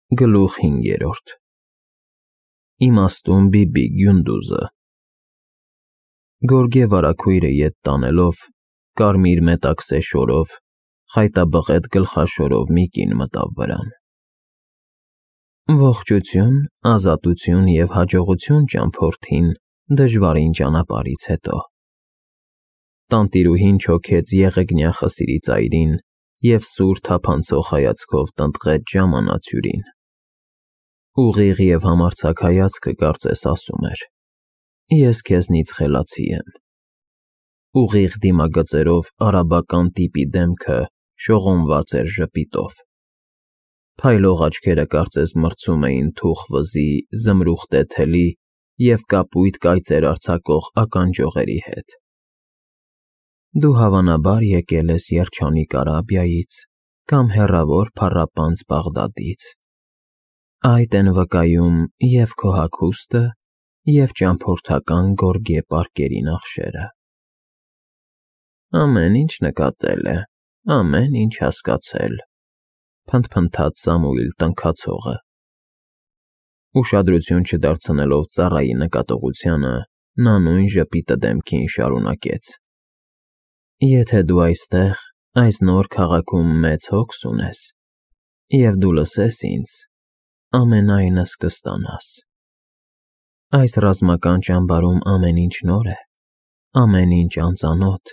Գլուխ 5. Իմաստուն Բիբի Գյունդուզը Գորգե վարագույրը ետ տանելով, կարմիր մետաքսե շորով, խայտաբղետ գլխաշորով մի կին մտավ վրան։ Ողջություն, ազատություն և հաջողություն ճամփորդին դժվարին ճանապարհից հետո։ Տանտիրուհին չոքեց եղեգնյա խսիրի ծայրին և սուր թափանցող հայացքով տնտղեց ժամանացյուրին։ Ուղիղ և համարձակ հայացքը կարծես ասում էր. ես քեզնից խելացի եմ։ Ուղիղ դիմագծերով արաբական տիպի դեմքը շողոմված էր ժպիտով։ Փայլող աչքերը կարծես մրցում էին թուխ վզի, զմրուխտե թելի և կապույտ կայծեր արձակող ականջողերի հետ։ Դու հավանաբար եկել ես երջանիկ Արաբիայից կամ հեռավոր փառապանծ Բաղդադից։ Այդ են վկայում և քո հագուստը, և ճամփորդական գորգե պարկերի նախշերը։ Ամեն ինչ նկատել է, ամեն ինչ հասկացել, փնթփնթաց Սամուիլ տնքացողը։ Ուշադրություն չդարձնելով ծառայի նկատողությանը, նա նույն ժպիտը դեմքին շարունակեց. Եթե դու այստեղ, այս նոր քաղաքում մեծ հոգս ունես, և դու լսես ինձ, ամենայնս կստանաս։ Այս ռազմական ճամբարում ամեն ինչ նոր է, ամեն ինչ անծանոթ,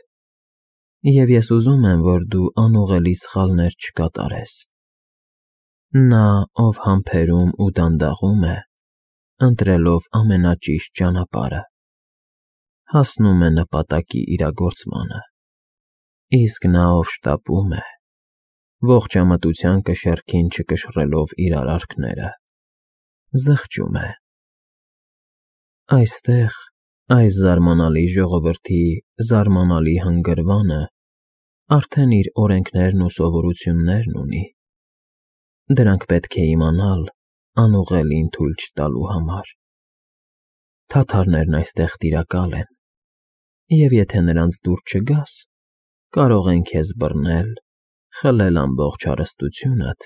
և ես ուզում եմ, որ դու անուղելի սխալներ չկատարես։ Նա, ով համբերում ու դանդաղում է, ընտրելով ամենաճիշտ ճանապարհը, հասնում է նպատակի իրագործմանը, իսկ նա, ով շտապում է, ողջամտության կշեռքին չկշռելով իր արարքները, զղջում է։ Այստեղ, այս զարմանալի ժողովրդի զարմանալի հանգրվանը արդեն իր օրենքներն ու սովորություններն ունի։ Դրանք պետք է իմանալ անուղելին թույլ չտալու համար։ Թաթարներն այստեղ տիրակալ են, և եթե նրանց դուր չգաս, կարող են քեզ բռնել, խլել ամբողջ հարստությունդ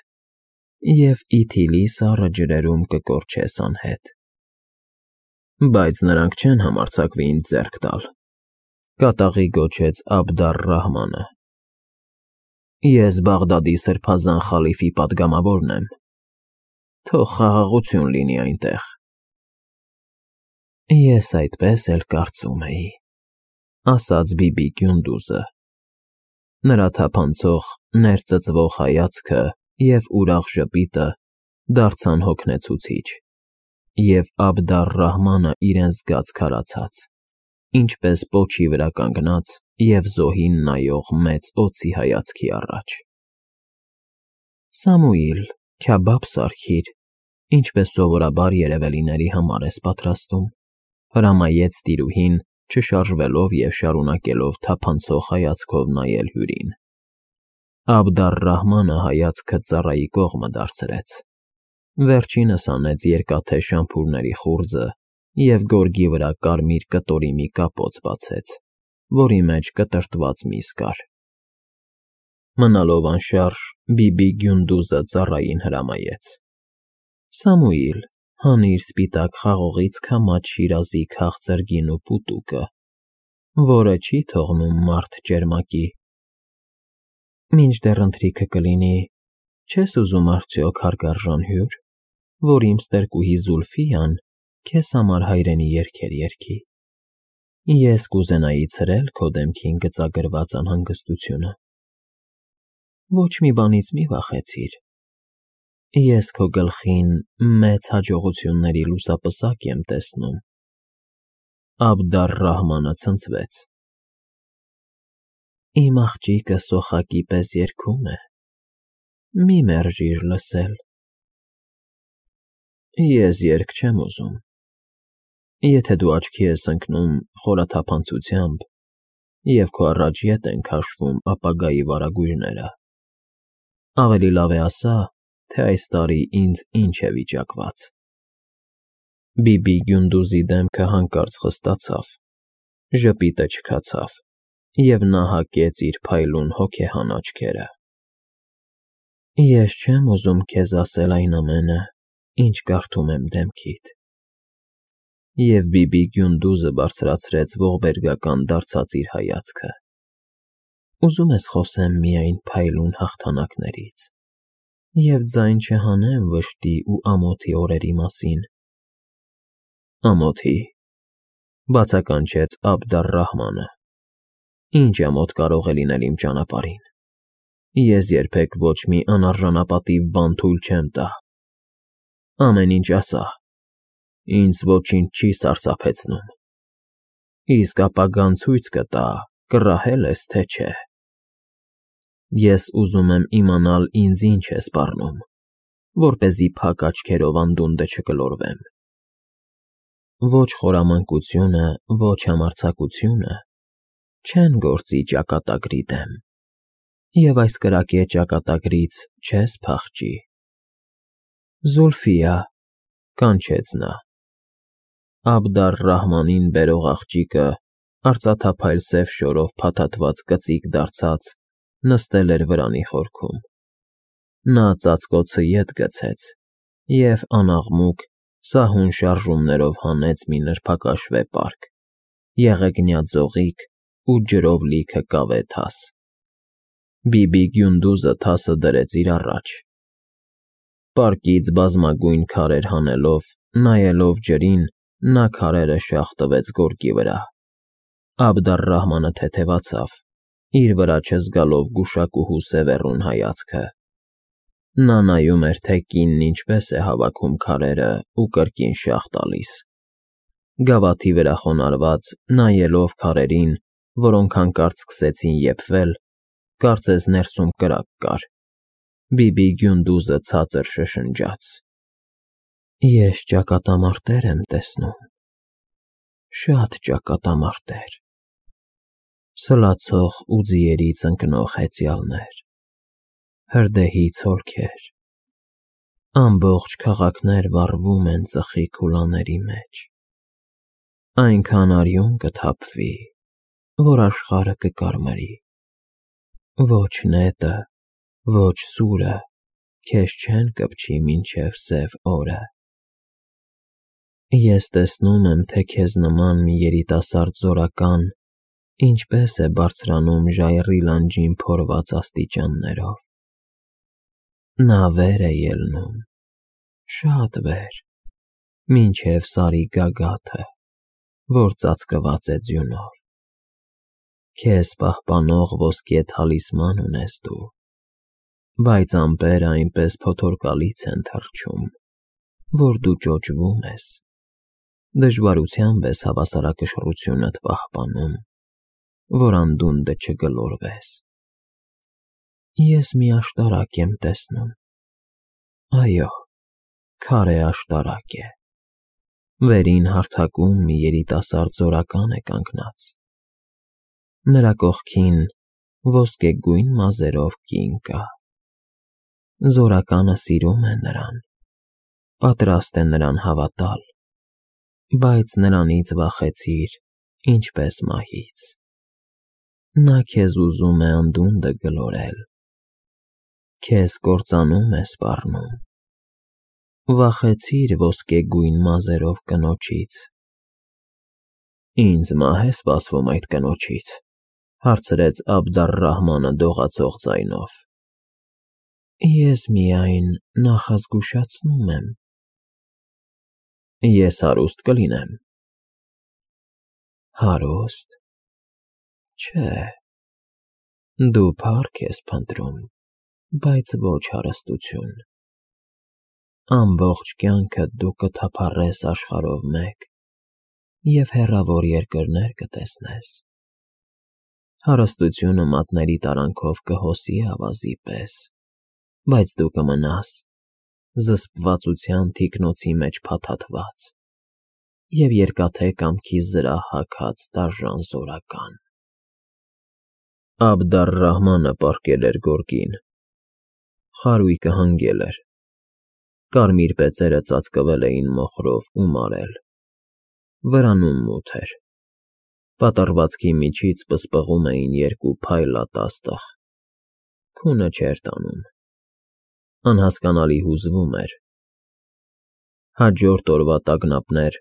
և Իթիլի սառը ջրերում կկորչես անհետ։ Բայց նրանք չեն համարձակվի ինձ ձեռք տալ, կատաղի գոչեց Աբդառ֊Ռահմանը։ Ես Բաղդադի սրբազան խալիֆի պատգամավորն եմ, թող խաղաղություն լինի այնտեղ։ Ես այդպես էլ կարծում էի, ասաց Բիբի Գյունդուզը։ Նրա թափանցող, ներծծվող հայացքը և ուրախ ժպիտը դարձան հոգնեցուցիչ, և Աբդառ֊Ռահմանը իրեն զգաց քարացած, ինչպես պոչի վրա կանգնած և զոհին նայող մեծ օձի հայացքի առաջ։ Սամուիլ, քյաբաբ սարքիր, ինչպես սովորաբար երևելիների համար ես պատրաստում, հրամայեց տիրուհին, չշարժվելով և շարունակելով թափանցող հայացքով նայել հյուրին։ Աբդառ֊Ռահմանը հայացքը ծառայի կողմը դարձրեց, վերջինս հանեց երկաթե շամփուրների խուრძը և գորգի վրա կարմիր կտորի մի կապոց բացեց, որի մեջ կտրտված միս կար։ Մնալով անշարժ, Բիբի Գյունդուզը ծառային հրամայեց. Սամուիլ, հանիր սպիտակ խաղողից քամած Շիրազի քաղցր գինու պուտուկը, որը չի թողնում մարդ ճերմակի։ Մինչդեռ ընթրիքը կլինի, չես ուզում արդյոք հարգարժան հյուր, որ իմ ստերկուհի Զուլֆիան քեզ համար հայրենի երգեր երգի։ Ես կուզենայի ցրել քո դեմքին գծագրված անհանգստությունը։ Ոչ մի բանից մի վախեցիր։ Ես քո գլխին մեծ հաջողությունների լուսապսակ եմ տեսնում։ Աբդառ֊Ռահմանը ցնցվեց։ Իմ աղջիկը սոխակի պես երգում է, մի մերժիր լսել։ Ես երգ չեմ ուզում։ Եթե դու աչքի ես ընկնում խորաթափանցությամբ, և քո առաջ ետ են քաշվում ապագայի վարագույրները, ավելի լավ է ասա, թե այս տարի ինձ ինչ է վիճակված։ Բիբի Գյունդուզի դեմքը հանկարծ խստացավ, ժպիտը չքացավ, և նա հակեց իր փայլուն հոգեհան աչքերը։ Ես չեմ ուզում քեզ ասել այն ամենը, ինչ կարդում եմ դեմքիդ։ Եվ Բիբի Գյունդուզը բարձրացրեց ողբերգական դարձած իր հայացքը։ Ուզում ես խոսեմ միայն փայլուն հաղթանակներից և ձայն չհանեմ վշտի ու ամոթի օրերի մասին։ Ամոթի, բացականչեց Աբդալ֊Ռահմանը։ Ինչ ամոթ կարող է լինել իմ ճանապարհին։ Ես երբեք ոչ մի անարժանապատիվ բան թույլ չեմ տա։ Ամեն ինչ ասա, ինձ ոչինչ չի սարսափեցնում։ Իսկ ապագան ցույց կտա՝ կռահել ես, թե չէ։ Ես ուզում եմ իմանալ ինձ ինչ է սպառնում, որպեսզի փակ աչքերով անդունդը չկլորվեմ։ Ոչ խորամանկությունը, ոչ համարձակությունը չեն գործի ճակատագրի դեմ, և այս կրակե ճակատագրից չես փախչի։ Զուլֆիա, կանչեց նա։ Աբդալ-Ռահմանին բերող աղջիկը, արծաթափայլ սև շորով փաթաթված կծիկ դարձած, նստել էր վրանի խորքում։ Նա ծածկոցը ետ գցեց և անաղմուկ, սահուն շարժումներով հանեց մի նրբակաշվե պարկ, եղեգնյա ձողիկ ու ջրով լիքը կավե թաս։ Բիբի Գյունդուզը թասը դրեց իր առաջ։ Պարկից բազմագույն քարեր հանելով, նայելով ջրին, նա քարերը շաղ տվեց գորգի վրա։ Աբդալ-Ռահմանը թեթևացավ, իր վրա չզգալով գուշակուհու սևեռուն հայացքը։ Նա նայում էր, թե կինն ինչպես է հավաքում քարերը ու կրկին շաղ տալիս։ Գավաթի վրա խոնարհված, նայելով քարերին, որոնք հանկարծ սկսեցին եփվել, կարծես ներսում կրակ կար, Բիբի Գյունդուզը ցածր շշնջաց. Ես ճակատամարտեր եմ տեսնում, շատ ճակատամարտեր, սլացող ու ձիերից ընկնող հեծյալներ, հրդեհից հորքեր, ամբողջ քաղաքներ վառվում են ծխի քուլաների մեջ, այնքան արյուն կթափվի, որ աշխարհը կկարմրի, ոչ նետը, ոչ սուրը քեզ չեն կպչի մինչև սև օրը։ Ես տեսնում եմ, թե քեզ նման մի երիտասարդ զորական ինչպես է բարձրանում ժայռի լանջին փորված աստիճաններով։ Նա վեր է ելնում, շատ վեր, մինչև Սարի գագաթը, որ ծածկված է ձյունով։ Քեզ պահպանող ոսկե թալիսման ունես դու, բայց ամպերը այնպես փոթորկալից են թռչում, որ դու ճոճվում ես, դժվարությամբ ես հավասարակշռությունդ պահպանում, որ անդունդը չգլորվես։ Ես մի աշտարակ եմ տեսնում։ Այո, քարե աշտարակ է։ Վերին հարթակում մի երիտասարդ զորական է կանգնած։ Նրա կողքին ոսկեգույն մազերով կին կա։ Զորականը սիրում է նրան, պատրաստ է նրան հավատալ, բայց նրանից վախեցիր, ինչպես մահից։ Նա քեզ ուզում է անդունդը գլորել, քեզ կործանում է սպառնում։ Վախեցիր ոսկեգույն մազերով կնոջից։ Ինձ մահ է սպասվում այդ կնոջից, հարցրեց Աբդալ-Ռահմանը դողացող ձայնով։ Ես միայն նախազգուշացնում եմ։ Ես հարուստ կլինեմ։ Հարուստ։ Չէ, դու փառք ես փնտրում, բայց ոչ հարստություն։ Ամբողջ կյանքդ դու կթափառես աշխարհով մեկ և հեռավոր երկրներ կտեսնես։ Հարստությունը մատների տարանքով կհոսի ավազի պես, բայց դու կմնաս զսպվածության թիկնոցի մեջ փաթաթված և երկաթե կամքի զրահ հագած դաժան զորական։ Աբդալ-Ռահմանը պառկել էր գորգին։ Խարույկը հանգել էր։ Կարմիր բեծերը ծածկվել էին մոխրով ու մարել։ Վրանում մութ էր։ Պատառվածքի միջից պսպղում էին երկու փայլատ աստղ։ Քունը չէր տանում։ անհասկանալի հուզվում էր։ Հաջորդ օրվա տագնապներ,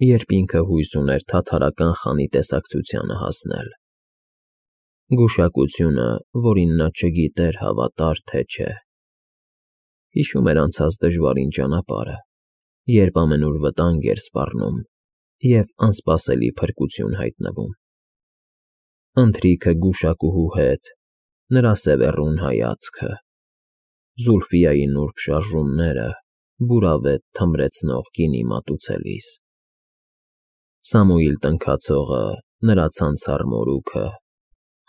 երբ ինքը հույս ուներ թաթարական խանի տեսակցությանը հասնել։ Գուշակությունը, որին նա չգիտեր հավատար, թե չէ։ Հիշում էր անցած դժվարին ճանապարհը, երբ ամենուր վտանգ էր սպառնում և անսպասելի փրկություն հայտնվում։ Ընթրիքը գուշակուհու հետ, նրա սևեռուն հայացքը, Զուլֆիայի նուրբ շարժումները բուրավետ թմրեցնող գինի մատուցելիս, Սամուիլ տնքացողը, նրա ցանցառ մորուքը,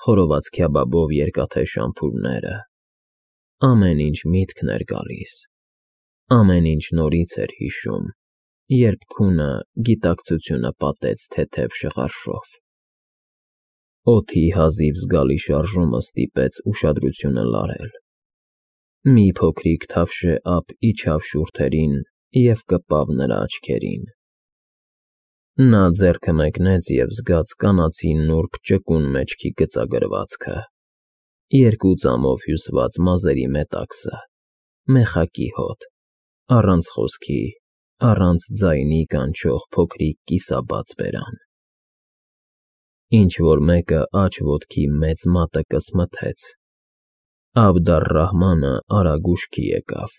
խորոված քյաբաբով երկաթե շամփուրները, ամեն ինչ միտքն էր գալիս, ամեն ինչ նորից էր հիշում, երբ քունը գիտակցությունը պատեց թեթև շղարշով։ Օդի հազիվ զգալի շարժումը ստիպեց ուշադրությունը լարել։ Մի փոքրիկ թավշե ափ իջավ շուրթերին և կպավ նրա աչքերին։ Նա ձեռքը մեկնեց և զգաց կանացի նուրբ ճկուն մեջքի գծագրվածքը, երկու ծամով հյուսված մազերի մետաքսը, մեխակի հոտ, առանց խոսքի, առանց ձայնի կանչող փոքրիկ կիսաբաց բերան։ Ինչ-որ մեկը աջ ոտքի մեծ մատը կսմթեց։ Աբդ֊ալ֊Ռահմանը արագ ուշքի եկավ։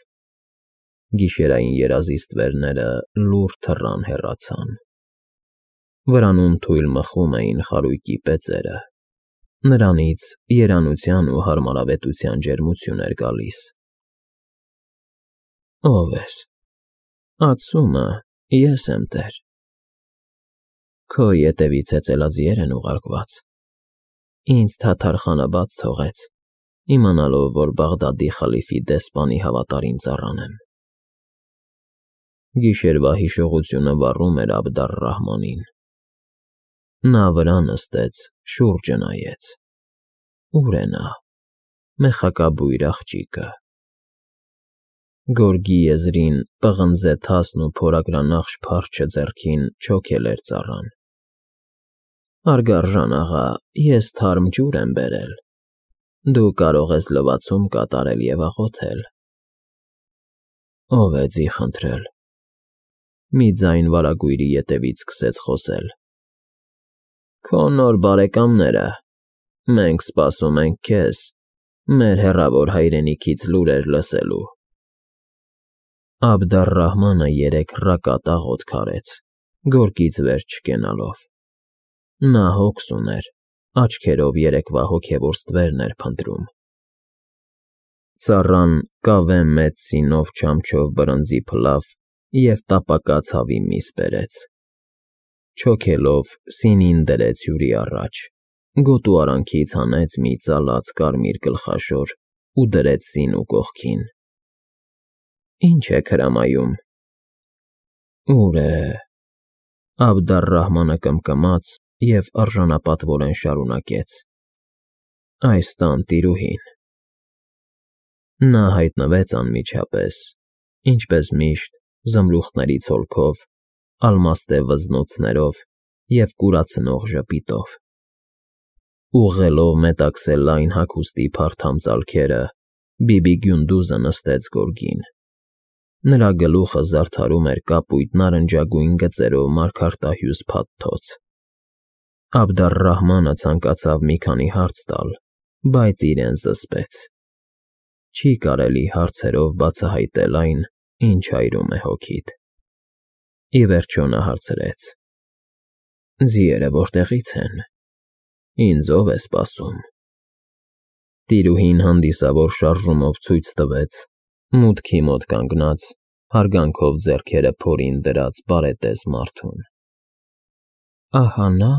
Գիշերային երազի ստվերները լուռ թռան հեռացան։ Վրանում թույլ մխում էին խարույկի պեծերը։ Նրանից երանության ու հարմարավետության ջերմություն էր գալիս։ Ո՞վ ես։ Ացումը ես եմ, տեր։ Քո ետևից հեծելազիեր են ուղարկված։ Ինձ թաթարխանաբաց թողեց, իմանալով, որ Բաղդադի խալիֆի դեսպանի հավատարիմ ծառան եմ։ Գիշերվա հիշողությունը վառում էր Աբդ֊ալ-Ռահմանին։ Նա վրա նստեց, շուրջը նայեց։ Ուր է նա, մեխակաբույր աղջիկը։ Գորգի եզրին պղնձե թասն ու փորագրանախշ փարչը ձեռքին չոքել էր ծառան։ Հարգարժան աղա, ես թարմ ջուր եմ բերել։ Դու կարող ես լվացում կատարել և աղոթել։ Ո՞վ է ձի խնդրել։ Մի ձայն վարագույրի ետևից սկսեց խոսել։ Քո նոր բարեկամները։ Մենք սպասում ենք քեզ, մեր հեռավոր հայրենիքից լուրեր լսելու։ Աբդ-ալ-Ռահմանը երեք ռակատ աղոթք արեց, գորգից վեր չկենալով։ Նա հոգս ուներ, աչքերով երեկվա հոգևոր ստվերն էր փնտրում։ Ծառան կավե մեծ սինով չամչով բրնձի փլավ և տապակած հավի միս բերեց։ Չոքելով սինին դրեց հյուրի առաջ, գոտու արանքից հանեց մի ծալած կարմիր գլխաշոր ու դրեց սինու կողքին։ Ինչ եք հրամայում։ Ուր է։ Աբդ-ալ-Ռահմանը կմկմաց և արժանապատվորեն շարունակեց. Այս տան տիրուհին։ Նա հայտնվեց անմիջապես, ինչպես միշտ, զմրուխտների ցոլքով, ալմաստե վզնոցներով և կուրացնող ժպիտով։ Ուղղելով մետաքսե լայն հագուստի փարթամ ծալքերը, բիբի Գյունդուզը նստեց գորգին։ Նրա գլուխը զարդարում էր կապույտ նարնջագույն գծերով մարգարտահյուս փաթթոց։ Աբդ-ալ-Ռահմանը ցանկացավ մի քանի հարց տալ, բայց իրեն զսպեց։ Չի կարելի հարցերով բացահայտել այն, ինչ այրում է հոգիդ։ Ի վերջո նա հարցրեց. Ձիերը որտեղից են։ Ինձ ով է սպասում։ Տիրուհին հանդիսավոր շարժումով ցույց տվեց մուտքի մոտ կանգնած, հարգանքով ձեռքերը փորին դրած բարետես մարդուն։ Ահա նա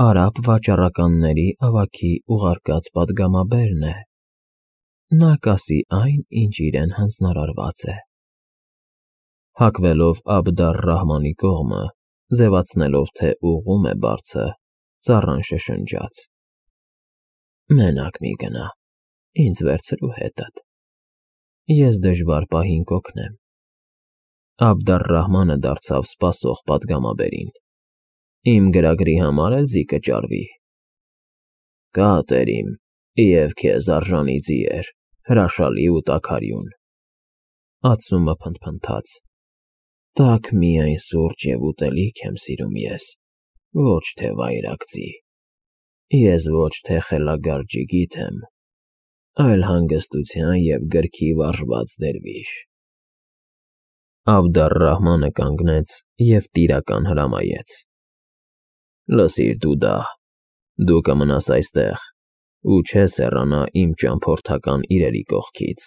արաբ վաճառականների ավագի ուղարկած պատգամաբերն է։ Նա կասի այն, ինչ իրեն հանձնարարված է։ Հագվելով Աբդ-ալ-Ռահմանի կողմը, ձևացնելով, թե ուղղում է բարձը, ծառան շշնջաց. Մենակ մի գնա, ինձ վերցրու հետդ։ Ես դժվար պահին կօգնեմ։ Աբդ-ալ-Ռահմանը դարձավ սպասող պատգամաբերին. Իմ գրագրի համար էլ ձի կճարվի։ Կա, տեր իմ, և քեզ արժանի ձի էր, հրաշալի ու տաքարյուն։ Ածումը փնթփնթաց։ Տաք միայն սուրճ և ուտելիք եմ սիրում ես, ոչ թե վայրագծի։ Ես ոչ թե խելագար ջիգիթ եմ, այլ հանգստության և գրքի վարժված դերվիշ։ Աբդալ֊Ռահմանը կանգնեց և տիրական հրամայեց. Լսիր դու դա, դու կմնաս այստեղ ու չես հեռանա իմ ճամփորդական իրերի կողքից։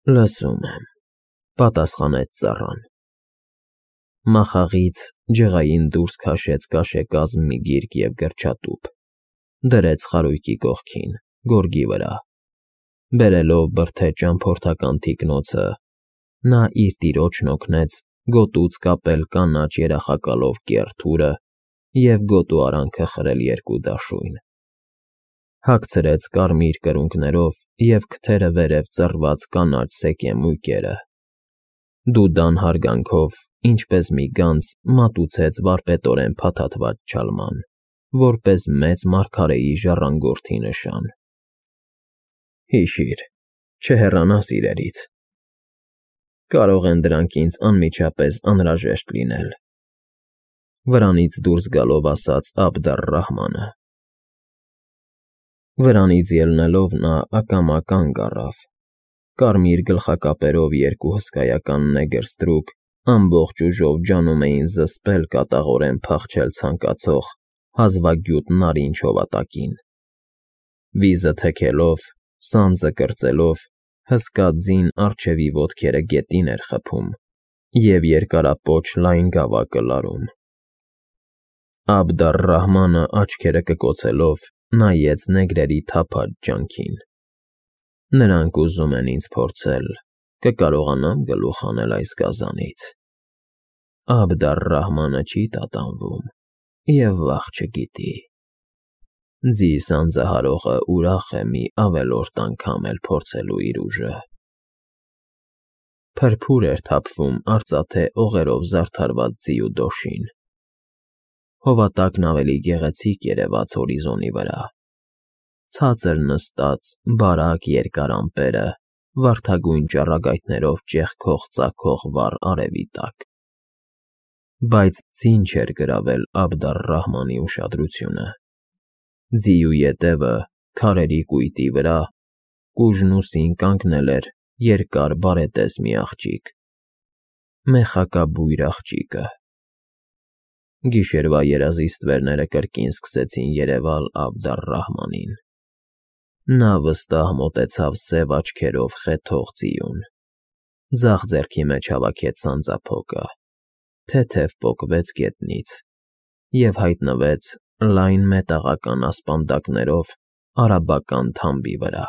Լսում եմ, պատասխանեց ծառան։ Մախաղից ջղային դուրս քաշեց կաշեկազմ մի գիրկ և գրչատուփ, դրեց խարույկի կողքին, գորգի վրա։ Բերելով բրդե ճամփորդական թիկնոցը, նա իր տիրոջն օգնեց գոտուց կապել կանաչ երախակալով կեռ թուրը և գոտու արանքը խրել երկու դաշույն։ Հագցրեց կարմիր կրունկներով և քթերը վերև ծռված կանաչ սեկեմույկերը։ Դուդան հարգանքով, ինչպես մի գանձ, մատուցեց վարպետորեն փաթաթված չալման, որպես մեծ մարգարեի ժառանգորդի նշան։ Հիշիր, չհեռանաս իրերից։ Կարող են դրանք ինձ անմիջապես անհրաժեշտ լինել, վրանից դուրս գալով ասաց Աբդալ֊Ռահմանը։ Վրանից ելնելով նա ակամա կանգ առավ։ Կարմիր գլխակապերով երկու հսկայական նեգր ստրուկ ամբողջ ուժով ջանում էին զսպել կատաղորեն փախչել ցանկացող հազվագյուտ նարինջ հովատակին։ Վիզը թեքելով, սանձը կրծելով, հսկա ձին առջևի ոտքերը գետին էր խփում և երկարապոչ լայն գավակը լարում։ Աբդալ-Ռահմանը աչքերը կկոցելով նայեց նեգրերի թափած ջանքին։ Նրանք ուզում են ինձ փորձել, կկարողանա՞մ գլուխ հանել այս գազանից։ Աբդալ-Ռահմանը չի տատանվում և վաղ չգիտի։ Ձի սանձահարողը ուրախ է մի ավելորդ անգամ էլ փորձելու իր ուժը։ Փրփուր էր թափվում արծաթե օղերով զարդարված ձիու դոշին։ Հովատակն ավելի գեղեցիկ երևաց հորիզոնի վրա։ Ցածր նստած բարակ երկար ամպերը վարդագույն ճառագայթներով ճեղքող ծագող վառ արևի տակ։ Բայց ձին չէր գրավել Աբդալ-Ռահմանի ուշադրությունը։ Ձիու ետևը, քարերի կույտի վրա, կուժնուսին կանգնել էր երկար բարետես մի աղջիկ։ Մեխակաբույր աղջիկը։ Գիշերվա երազի ստվերները կրկին սկսեցին երևալ Աբդալ֊Ռահմանին։ Նա վստահ մոտեցավ սև աչքերով խեթող ձիուն։ Ձախ ձեռքի մեջ հավաքեց սանձափոկը, թեթև պոկվեց գետնից և հայտնվեց լայն մետաղական ասպանդակներով արաբական թամբի վրա։